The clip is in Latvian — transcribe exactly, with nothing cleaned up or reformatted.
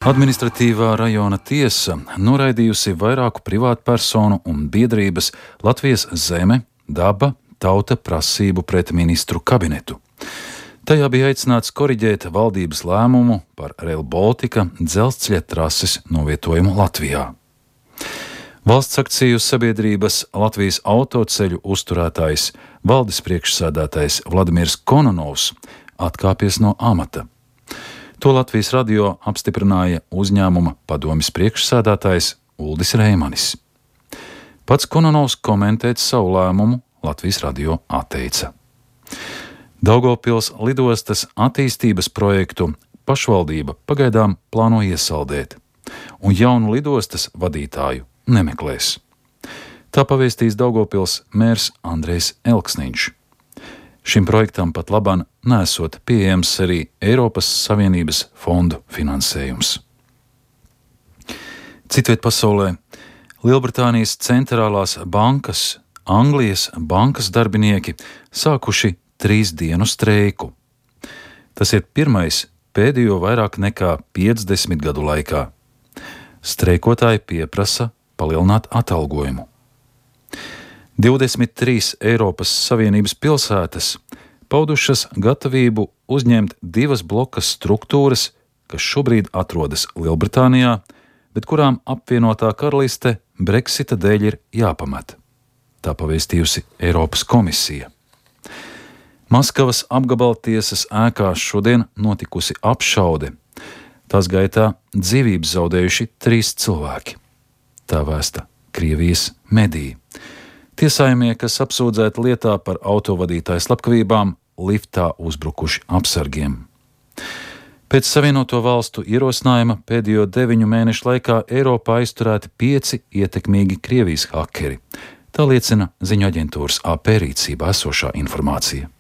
Administratīvā rajona tiesa noraidījusi vairāku privātpersonu un biedrības Latvijas Zeme, Daba, Tauta prasību pret ministru kabinetu. Tajā bija aicināts koriģēt valdības lēmumu par Rail Baltica dzelzceļa trases novietojumu Latvijā. Valsts akciju sabiedrības Latvijas autoceļu uzturētājs, valdes priekšsēdētājs Vladimirs Kononovs atkāpies no amata. To Latvijas radio apstiprināja uzņēmuma padomjas priekšsēdētājs Uldis Reimanis. Pats Kononovs komentēt savu lēmumu Latvijas radio atteica. Daugavpils lidostas attīstības projektu pašvaldība pagaidām plāno iesaldēt, un jaunu lidostas vadītāju nemeklēs. Tā pavēstīs Daugavpils mērs Andrejs Elksniņš. Šim projektam pat labāk nesot pieejams arī Eiropas Savienības fondu finansējums. Citviet pasaulē Lielbritānijas centrālās bankas, Anglijas bankas darbinieki sākuši trīs dienu streiku. Tas ir pirmais pēdējo vairāk nekā piecdesmit gadu laikā. Streikotāji pieprasa palielināt atalgojumu. divdesmit trīs Eiropas Savienības pilsētas paudušas gatavību uzņemt divas blokas struktūras, kas šobrīd atrodas Lielbritānijā, bet kurām apvienotā karaliste Brexita dēļ ir jāpamet. Tā pavēstījusi Eiropas komisija. Maskavas apgabaltiesas ēkās šodien notikusi apšaude. Tās gaitā dzīvības zaudējuši trīs cilvēki. Tā vēsta Krievijas mediji. Tiesājumie, kas apsūdzēti lietā par autovadītāju slepkavībām, liftā uzbrukuši apsargiem. Pēc Savienoto Valstu ierosinājuma pēdējo deviņu mēnešu laikā Eiropā aizturēti pieci ietekmīgi Krievijas hakeri. Tā liecina ziņu aģentūras A P rīcībā esošā informācija.